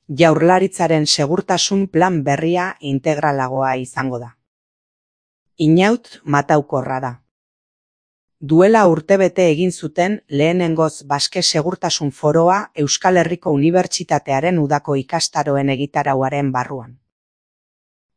Jaurlaritzaren segurtasun plan berria integralagoa izango da. Inaut mataukorra da. Duela urtebete egin zuten lehenengoz Baske Segurtasun Foroa Euskal Herriko Unibertsitatearen udako ikastaroen egitarauaren barruan.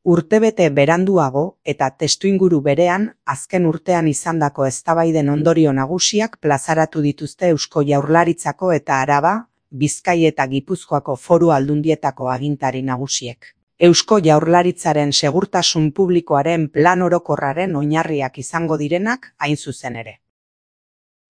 Urtebete beranduago eta testuinguru berean azken urtean izandako eztabaiden ondorio nagusiak plazaratu dituzte Eusko Jaurlaritzako eta Araba, Bizkai eta Gipuzkoako foru aldundietako agintari nagusiek. Eusko Jaurlaritzaren segurtasun publikoaren plan orokorraren oinarriak izango direnak hain zuzen ere.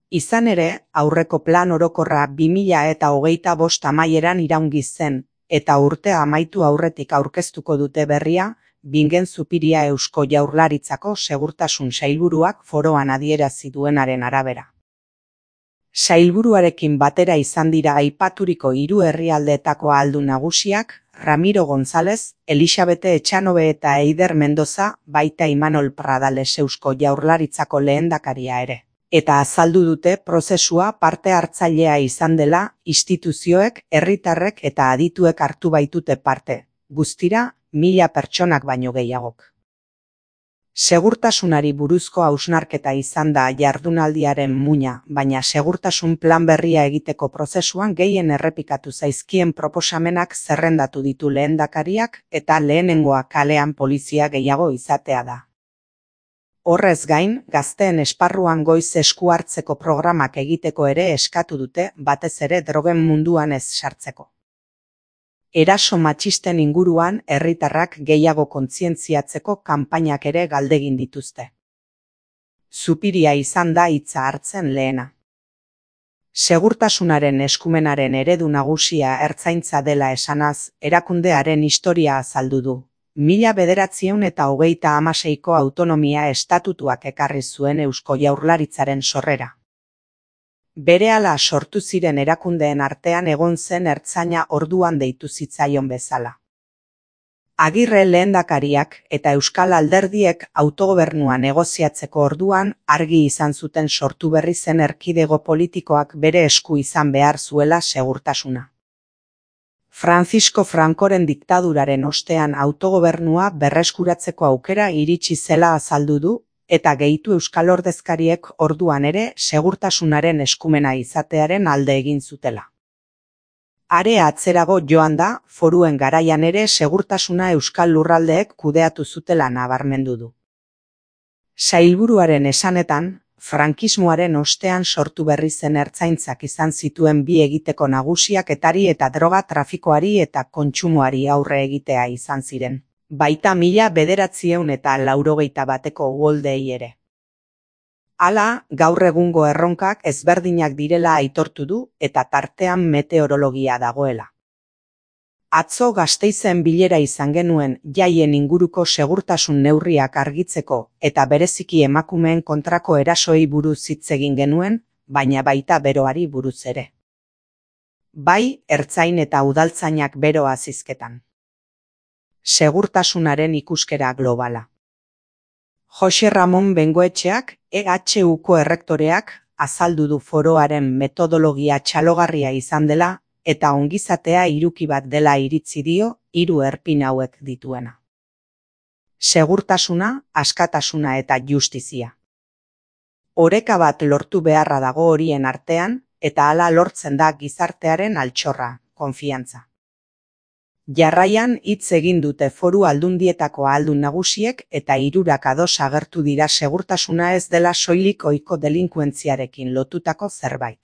Izan ere, aurreko plan orokorra 2025 amaieran iraungi zen, eta urtea amaitu aurretik aurkeztuko dute berria, Bingen Zupiria Eusko Jaurlaritzako segurtasun sailburuak foroan adierazi duenaren arabera. Sailburuarekin batera izan dira aipaturiko 3 herrialdeetako ahaldun nagusiak, Ramiro González, Elisabete Etxanobe eta Eider Mendoza, baita Imanol Pradales Eusko Jaurlaritzako lehendakaria ere. Eta azaldu dute prozesua parte hartzailea izan dela, instituzioek, herritarrek eta adituek hartu baitute parte, guztira 1000 pertsonak baino gehiagok. Segurtasunari buruzko hausnarketa izan da jardunaldiaren muina, baina segurtasun plan berria egiteko prozesuan gehien errepikatu zaizkien proposamenak zerrendatu ditu lehendakariak eta lehenengoa kalean polizia gehiago izatea da. Horrez gain, gazteen esparruan goiz esku hartzeko programak egiteko ere eskatu dute, batez ere drogen munduan ez sartzeko. Eraso matxisten inguruan herritarrak gehiago kontzientziatzeko kanpainak ere galdegin dituzte. Zupiria izan da hitza hartzen lehena. Segurtasunaren eskumenaren eredu nagusia ertzaintza dela esanaz, erakundearen historia azaldu du. 1926ko autonomia estatutuak ekarri zuen Eusko Jaurlaritzaren sorrera. Berehala sortu ziren erakundeen artean egon zen ertzaina orduan deitu zitzaion bezala. Agirre lehendakariak eta Euskal Alderdiek autogobernua negoziatzeko orduan argi izan zuten sortu berri zen erkidego politikoak bere esku izan behar zuela segurtasuna. Francisco Francoren diktaduraren ostean autogobernua berreskuratzeko aukera iritsi zela azaldu du, eta gehitu euskal ordezkariek orduan ere segurtasunaren eskumena izatearen alde egin zutela. Are atzerago joan da, foruen garaian ere segurtasuna euskal lurraldeek kudeatu zutela nabarmendu du. Sailburuaren esanetan, frankismoaren ostean sortu berri zen ertzaintzak izan zituen bi egiteko nagusiak etari eta droga trafikoari eta kontsumoari aurre egitea izan ziren. Baita 1981ko uholdei ere. Hala, gaur egungo erronkak ezberdinak direla aitortu du eta tartean meteorologia dagoela. Atzo Gasteizen bilera izan genuen jaien inguruko segurtasun neurriak argitzeko eta bereziki emakumeen kontrako erasoei buruz hitz egin genuen, baina baita beroari buruz ere. Bai, ertzain eta udaltzainak beroa zizketan. Segurtasunaren ikuskera globala. Jose Ramon Bengoetxeak, EHUko errektoreak, azaldu du foroaren metodologia txalogarria izan dela, eta ongizatea hiruki bat dela iritzi dio, 3 erpin hauek dituena. Segurtasuna, askatasuna eta justizia. Oreka bat lortu beharra dago horien artean, eta hala lortzen da gizartearen altxorra, konfiantza. Jarraian hitz egin dute foru aldundietako ahaldun nagusiek eta 3 ados agertu dira segurtasuna ez dela soilik ohiko delinkuentziarekin lotutako zerbait.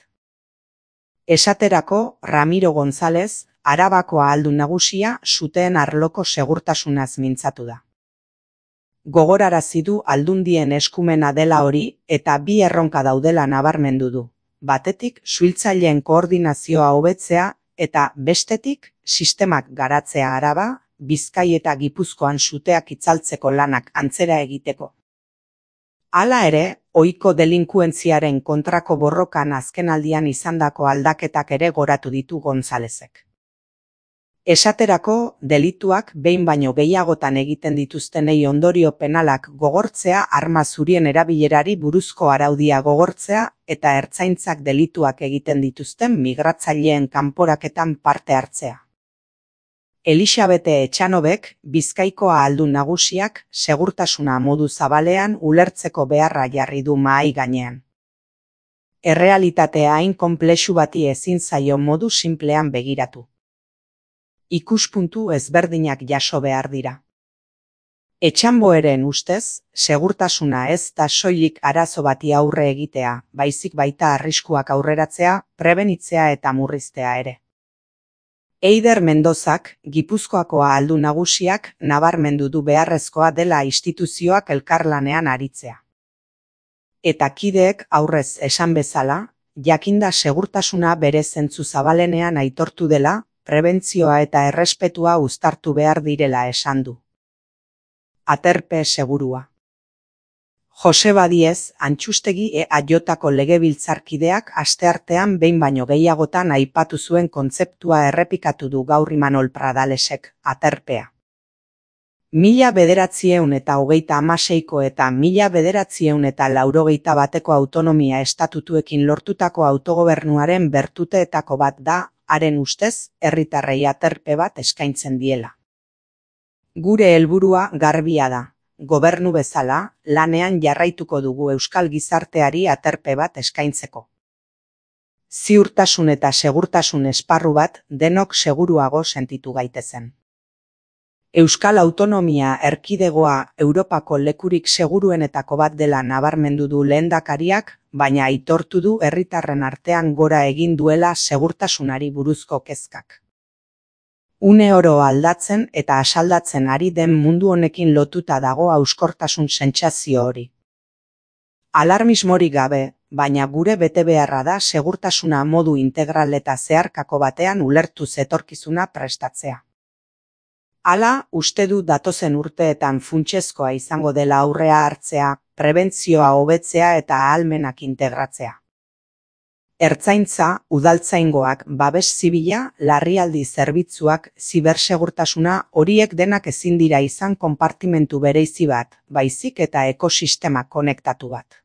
Esaterako, Ramiro González, Arabako ahaldun nagusia suteen arloko segurtasunaz mintzatu da. Gogorarazi du aldundien eskumena dela hori eta bi erronka daudela nabarmendu du. Batetik, suhiltzaileen koordinazioa hobetzea eta bestetik, sistemak garatzea Araba, Bizkai eta Gipuzkoan suteak itzaltzeko lanak antzera egiteko. Hala ere, ohiko delinkuentziaren kontrako borrokan azkenaldian izandako aldaketak ere goratu ditu Gonzálezek. Esaterako, delituak behin baino gehiagotan egiten dituztenei ondorio penalak gogortzea, arma zurien erabilerari buruzko araudia gogortzea eta ertzaintzak delituak egiten dituzten migratzaileen kanporaketan parte hartzea. Elisabete Etxanobek, Bizkaiko ahaldun nagusiak, segurtasuna modu zabalean ulertzeko beharra jarri du mahai gainean. Errealitatea hain konplexu bati ezin zaio modu sinplean begiratu. Ikuspuntu ezberdinak jaso behar dira. Etxanboeren ustez, segurtasuna ez da soilik arazo bati aurre egitea, baizik baita arriskuak aurreratzea, prebenitzea eta murriztea ere. Eider Mendozak, Gipuzkoako ahaldun nagusiak, nabarmendu du beharrezkoa dela instituzioak elkarlanean aritzea. Eta kideek aurrez esan bezala, jakinda segurtasuna bere zentzu zabalenean aitortu dela, prebentzioa eta errespetua uztartu behar direla esan du. Aterpe segurua. Joseba Diez, Antxustegi EAJko legebiltzarkideak asteartean behin baino gehiagotan aipatu zuen kontzeptua errepikatu du gaur Imanol Pradalesek, aterpea. 1926ko eta 1981ko autonomia estatutuekin lortutako autogobernuaren bertuteetako bat da, haren ustez, herritarrei aterpe bat eskaintzen diela. Gure helburua garbia da. Gobernu bezala, lanean jarraituko dugu euskal gizarteari aterpe bat eskaintzeko. Ziurtasun eta segurtasun esparru bat denok seguruago sentitu gaitezen. Euskal Autonomia Erkidegoa Europako lekurik seguruenetako bat dela nabarmendu du lehendakariak, baina aitortu du herritarren artean gora egin duela segurtasunari buruzko kezkak. Une oro aldatzen eta asaldatzen ari den mundu honekin lotuta dago hauskortasun sentsazio hori. Alarmismorik gabe, baina gure betebeharra da segurtasuna modu integral eta zeharkako batean ulertuz etorkizuna prestatzea. Hala, uste du datozen urteetan funtsezkoa izango dela aurrea hartzea, prebentzioa hobetzea eta ahalmenak integratzea. Ertzaintza, udaltzaingoak, babes zibila, larrialdi zerbitzuak, zibersegurtasuna horiek denak ezin dira izan konpartimentu bereizi bat, baizik eta ekosistema konektatu bat.